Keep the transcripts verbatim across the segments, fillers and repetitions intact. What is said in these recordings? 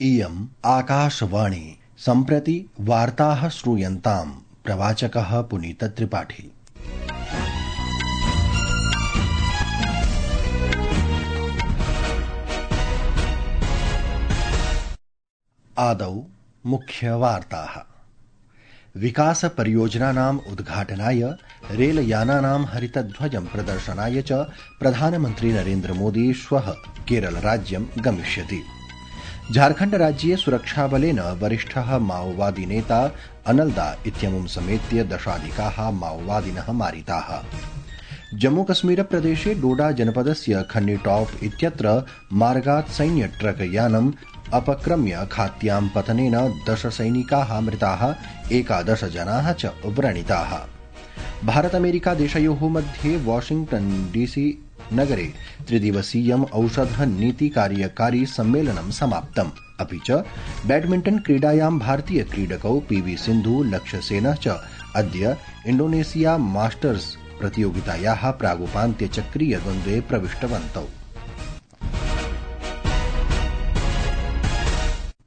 इयम् आकाशवाणी। सम्प्रति वार्ताः श्रूयन्ताम्। प्रवाचकः पुनीत त्रिपाठी। आदौ मुख्यवार्ताः। विकास परियोजनानाम् उद्घाटनाय रेलयानानां हरितध्वजं प्रदर्शनाय च प्रधानमन्त्री नरेन्द्र मोदी श्वः केरलराज्यं गमिष्यति। झारखण्ड राज्ये सुरक्षाबलेन वरिष्ठः माओवादी नेता अनल्दा इत्यमुं समेत्य दशाधिकाः माओवादिनः मारिताः। जम्मूकश्मीर प्रदेशे डोडा जनपदस्य खन्नीटॉप इत्यत्र मार्गात् सैन्य ट्रक यानम् अपक्रम्य खात्यां पतनेन दश सैनिकाः मृताः, एकादश जनाः च व्रणिताः। भारत अमेरिका देशयोः मध्ये वाशिंग्टन डीसी नगरे त्रिदिवसीयम् औषध नीति कार्यकारी सम्मेलनं समाप्तम्। अपि च बैडमिण्टन क्रीडायां भारतीय क्रीडकौ पीवी सिन्धु लक्ष्यसेनः च अद्य इण्डोनेशिया मास्टर्स प्रतियोगितायाः प्रागुपान्त्यचक्रीय द्वन्द्वे प्रविष्टवन्तौ।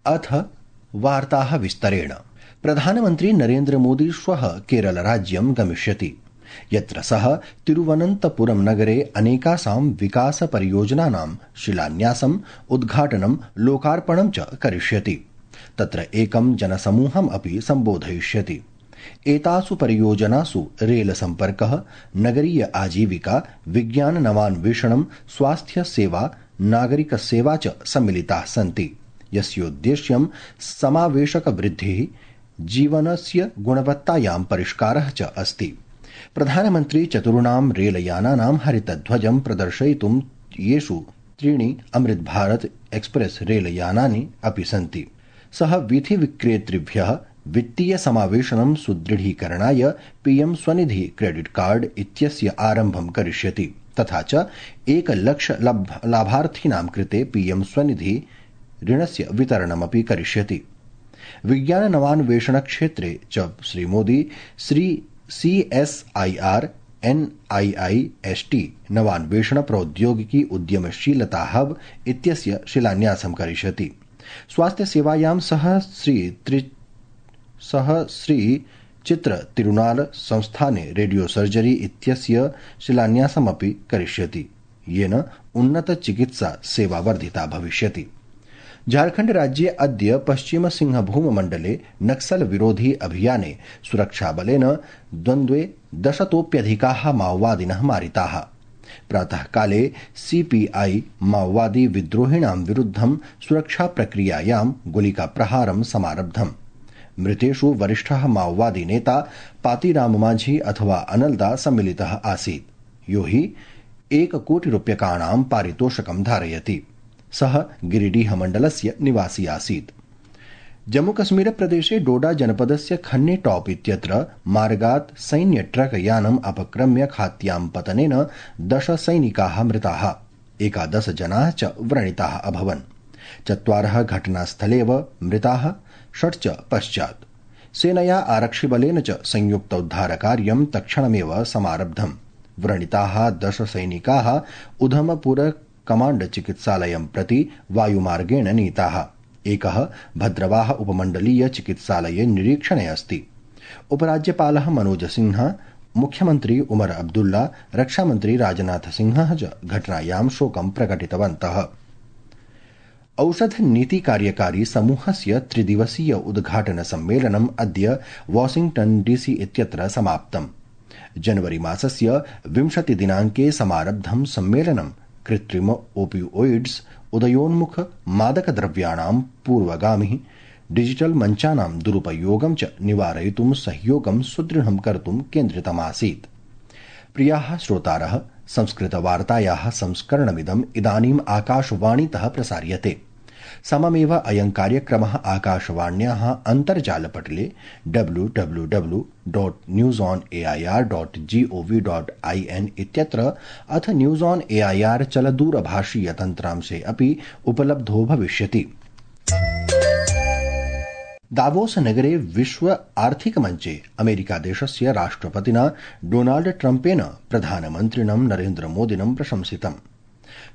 अथ वार्ताः विस्तरेण। प्रधानमन्त्री नरेन्द्र मोदी श्वः केरलराज्यं गमिष्यति, यत्र सः तिरुवनन्तपुरम नगरे अनेकासां विकास परियोजनानां शिलान्यासम्, उद्घाटनं, लोकार्पणं च करिष्यति। तत्र एकं जनसमूहम् अपि सम्बोधयिष्यति। एतासु परियोजनासु रेल सम्पर्कः, नगरीय आजीविका, विज्ञान नवान्वेषणं, स्वास्थ्य सेवा, नागरिक सेवा च सम्मिलिताः सन्ति, यस्योद्देश्यं समावेशक वृद्धिः, जीवनस्य गुणवत्तायां परिष्कारः च अस्ति। प्रधानमन्त्री चतुर्णां रेलयानानां हरितध्वजं प्रदर्शयितुं, येषु त्रीणि अमृत भारत एक्सप्रेस रेलयानानि अपि सन्ति। सः वीथिविक्रेतृभ्यः वित्तीय समावेशनं सुदृढीकरणाय पीएम स्वनिधि क्रेडिट कार्ड इत्यस्य आरम्भं करिष्यति, तथा च एकलक्ष लाभार्थिनां कृते पीएम स्वनिधि ऋणस्य वितरणमपि करिष्यति। विज्ञान नवान्वेषण क्षेत्रे च Shri Modi Shri C S I R N I I S T नवान्वेषण प्रौद्योगिकी उद्यमशीलता हब इत्यस्य शिलान्यासं करिष्यति। स्वास्थ्य सेवायां सह श्री त्रि सह श्री चित्र तिरुनाल संस्थाने रेडियो सर्जरी इत्यस्य शिलान्यासमपि करिष्यति, येन उन्नत चिकित्सा सेवा वर्धिता भविष्यति। झारखण्ड राज्ये अद्य पश्चिम सिंहभूम मण्डले नक्सल विरोधी अभियाने सुरक्षाबलेन द्वन्द्वे दशतोप्यधिकाः माओवादिनः मारिताः। प्रातःकाले सीपीआई माओवादी विद्रोहिणां विरुद्धं सुरक्षा प्रक्रियायां गोलिकाप्रहारं समारब्धम्। मृतेषु वरिष्ठः माओवादी नेता पातीराम माझी अथवा अनल्दा सम्मिलितः आसीत्, यो हि एककोटिरूप्यकाणां पारितोषकं धारयति। सः गिरिडीह मण्डलस्य निवासी आसीत्। जम्मूकश्मीर प्रदेशे डोडा जनपदस्य खन्ने टॉप इत्यत्र मार्गात् सैन्य ट्रक यानम् अपक्रम्य खात्यां पतनेन दश सैनिकाः मृताः, एकादश जनाः च व्रणिताः अभवन्। चत्वारः घटनास्थलेव मृताः, षट् च पश्चात्। सेनया आरक्षिबलेन च संयुक्तोद्धारकार्यं तत्क्षणमेव समारब्धम्। व्रणिताः दश सैनिकाः उधमपुर कमाण्ड चिकित्सालयं प्रति वायुमार्गेण नीताः। एकः भद्रवाह उपमण्डलीय चिकित्सालये निरीक्षणे अस्ति। उपराज्यपालः मनोज सिन्हा, मुख्यमन्त्री उमर अब्दुल्ला, रक्षामन्त्री राजनाथ सिंहः च घटनायां शोकं प्रकटितवन्तः। औषध नीति कार्यकारी समूहस्य त्रिदिवसीय उद्घाटन सम्मेलनम् अद्य वाशिंग्टन डीसी इत्यत्र समाप्तम्। जनवरी मासस्य विंशति दिनाङ्के समारब्धं सम्मेलनं कृत्रिम ओपियोइड्स, उदयोन्मुख मादकद्रव्याणां पूर्वगामिः, डिजिटल मञ्चानां दुरुपयोगं च निवारयितुं सहयोगं सुदृढं कर्तुं केन्द्रितमासीत्। प्रियाः श्रोतारः, संस्कृतवार्तायाः संस्करणमिदम् इदानीम् आकाशवाणीतः प्रसार्यते। सममेव अयं कार्यक्रमः आकाशवाण्याः अन्तर्जालपटले W W W dot news on A I R dot G O V dot I N इत्यत्र अथ news on A I R चलदूरभाषीय तन्त्रांशे अपि उपलब्धो भविष्यति। दावोस नगरे विश्व आर्थिक मञ्चे अमेरिका देशस्य राष्ट्रपतिना डोनाल्ड ट्रम्पेन प्रधानमन्त्रिणं नरेन्द्र मोदिनं प्रशंसितम्।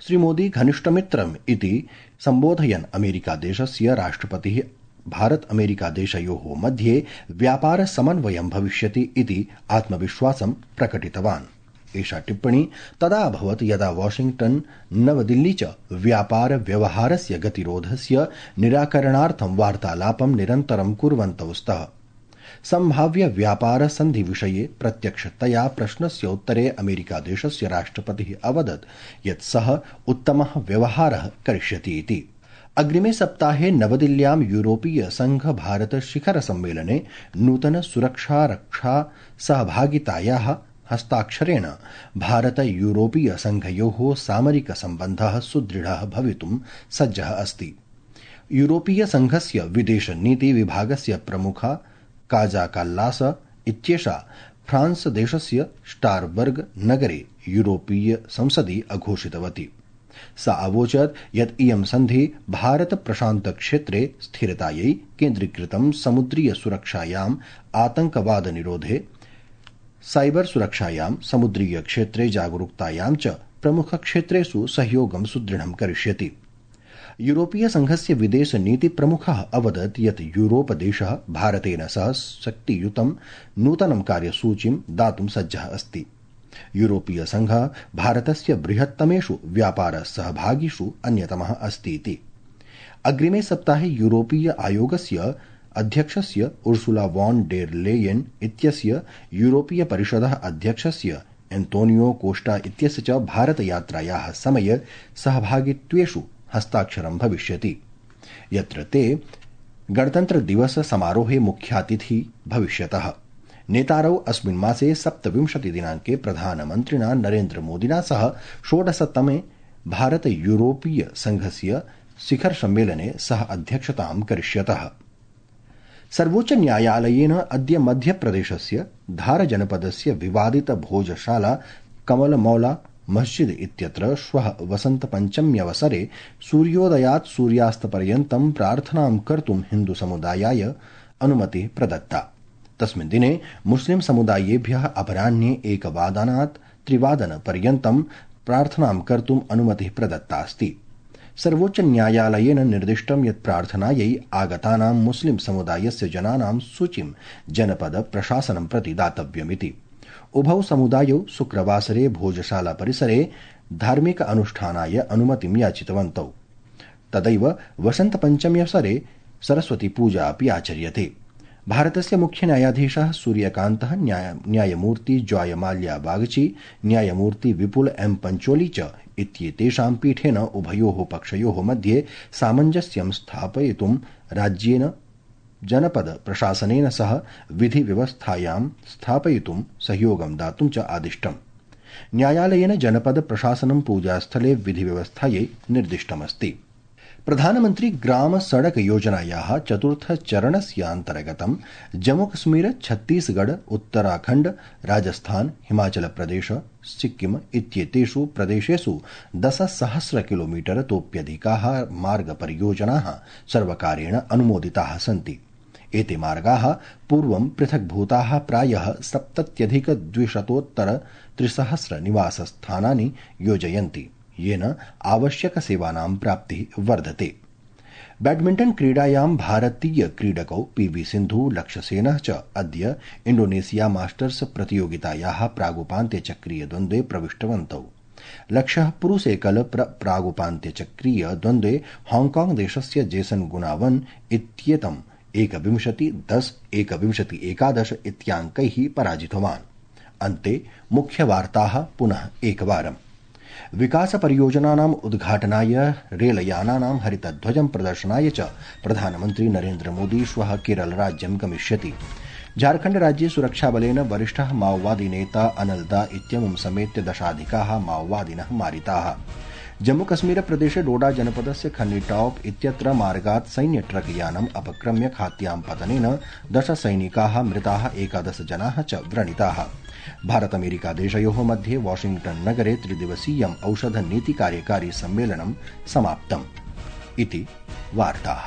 श्रीमोदी घनिष्ठमित्रम् इति सम्बोधयन् अमेरिकादेशस्य राष्ट्रपतिः भारत अमेरिकादेशयोः मध्ये व्यापार समन्वयं भविष्यति इति आत्मविश्वासं प्रकटितवान्। एषा टिप्पणी तदा अभवत् यदा वाशिंग्टन नवदिल्ली च व्यापार व्यवहारस्य गतिरोधस्य निराकरणार्थं वार्तालापं निरन्तरं कुर्वन्तौ स्तः। सम्भाव्य व्यापार सन्धि विषये प्रत्यक्षतया प्रश्नस्य उत्तरे अमेरिकादेशस्य राष्ट्रपतिः अवदत् यत् सः उत्तमः व्यवहारः करिष्यति इति। अग्रिमे सप्ताहे नवदिल्ल्यां यूरोपीय संघ भारत शिखर सम्मेलने नूतन सुरक्षा रक्षा सहभागितायाः हस्ताक्षरेण भारत यूरोपीय संघयोः सामरिक सम्बन्धः सुदृढः भवितुं सज्जः अस्ति। यूरोपीय संघस्य विदेश नीति विभागस्य प्रमुखा काजा काल्लास इत्येषा फ्रांस देशस्य स्टारबर्ग नगरे यूरोपीय संसदि अघोषितवती। सा अवोचत् यत् इयं सन्धि भारत प्रशान्त क्षेत्रे स्थिरतायै केन्द्रीकृतं समुद्रीय सुरक्षायाम् आतंकवाद निरोधे साइबर सुरक्षायां समुद्रीय क्षेत्रे जागरूकतायां च प्रमुख क्षेत्रेषु सहयोगं सुदृढं करिष्यति। यूरोपीय संघस्य विदेश नीति प्रमुखः अवदत् यत् यूरोप देशः भारतेन सह शक्तियुतं नूतनं कार्यसूचीं दातुं सज्जः अस्ति। यूरोपीय संघः भारतस्य बृहत्तमेषु व्यापार सहभागिषु अन्यतमः अस्ति इति। अग्रिमे सप्ताहे यूरोपीय आयोगस्य अध्यक्षस्य उर्सुला वॉन डेर लेयेन इत्यस्य यूरोपीय परिषदः अध्यक्षस्य एंटोनियो कोस्टा इत्यस्य च भारत यात्रायाः समये सहभागित्वेषु हस्ताक्षरं भविष्यति, यत्र ते गणतन्त्र दिवस समारोहे मुख्यातिथि भविष्यतः। नेतारौ अस्मिन् मासे सप्तविंशति दिनाङ्के प्रधानमन्त्रिणा नरेन्द्र मोदिना सह षोडशतमे भारत यूरोपीय संघस्य शिखर सम्मेलने सह अध्यक्षतां करिष्यतः। सर्वोच्च न्यायालयेन अद्य मध्यप्रदेशस्य धार जनपदस्य विवादित भोजशाला कमलमौला मस्जिद इत्यत्र श्वः वसन्तपञ्चम्यवसरे सूर्योदयात् सूर्यास्तपर्यन्तं प्रार्थनां कर्तुं हिन्दुसमुदायाय अनुमतिः प्रदत्ता। तस्मिन् दिने मुस्लिम समुदायेभ्यः अपराह्ने एकवादनात् त्रिवादनपर्यन्तं प्रार्थनां कर्तुम् अनुमतिः प्रदत्ता अस्ति। सर्वोच्च न्यायालयेन निर्दिष्टं यत् प्रार्थनायै आगतानां मुस्लिम समुदायस्य जनानां सूचीं जनपद प्रशासनं प्रति दातव्यमिति। उभौ समुदायौ शुक्रवासरे भोजशाला परिसरे धार्मिक अनुष्ठानाय अनुमतिं याचितवन्तौ। तदैव वसन्तपञ्चम्यवसरे सरस्वती पूजा अपि आचर्यते। भारतस्य मुख्य न्यायाधीशः सूर्यकान्तः न्यायमूर्ति जॉय माल्या बागची न्यायमूर्ति विपुल एम पंचोली च इत्येतेषां पीठेन उभयोः पक्षयोः मध्ये सामञ्जस्यं स्थापयितुं राज्येन जनपद प्रशासनेन सह विधि व्यवस्थायां स्थापयितुं सहयोगं दातुं च आदिष्टम्। न्यायालयेन जनपद प्रशासनं पूजास्थले विधि व्यवस्थायै निर्दिष्टमस्ति। प्रधानमंत्री ग्राम सड़क योजनायाः चतुर्थ चरणस्य अन्तर्गतं जम्मूकश्मीर छत्तीसगढ़ उत्तराखण्ड राजस्थान हिमाचल प्रदेश सिक्किम इत्येतेषु प्रदेशेषु दशसहस्र किलोमीटर तोप्यधिकाः मार्गपरियोजनाः सर्वकारेण अनुमोदिताः सन्ति। एते मार्गाः पूर्वं पृथक्भूताः प्रायः सप्तत्यधिक द्विशतोत्तर त्रिसहस्र निवासस्थानानि योजयन्ति, येन आवश्यक सेवानां प्राप्तिः वर्धते। बैडमिण्टन क्रीडायां भारतीय क्रीडकौ पीवी सिन्धु लक्ष्यसेनः च अद्य इण्डोनेशिया मास्टर्स प्रतियोगितायाः प्रागुपान्त्यचक्रीय द्वन्द्वे प्रविष्टवन्तौ। लक्ष्यः पुरुषेकल प्रागुपान्त्यचक्रीय द्वन्द्वे हांगकांग देशस्य जेसन गुनावन इत्येतम् एकविंशति दश एकविंशति एकादश इत्याङ्कैः पराजितवान्। अन्ते मुख्यवार्ताः पुनः एकवारम्। विकास परियोजनानाम् उद्घाटनाय रेलयानानां हरितध्वजं प्रदर्शनाय च प्रधानमन्त्री नरेन्द्र मोदी श्वः केरल राज्यं गमिष्यति। झारखण्ड राज्ये सुरक्षाबलेन वरिष्ठः माओवादी नेता अनलदा इत्यमुं समेत्य दशाधिकाः माओवादिनः मारिताः। जम्मूकश्मीर प्रदेशे डोडा जनपदस्य खन्नीटॉप इत्यत्र मार्गात् सैन्य ट्रक यानम् अपक्रम्य खात्यां पतनेन दश सैनिकाः मृताः, एकादश जनाः च व्रणिताः। भारत अमेरिका देशयोः मध्ये वाशिंग्टन नगरे त्रिदिवसीयम् औषध नीति कार्यकारी सम्मेलनं समाप्तम् इति वार्ताः।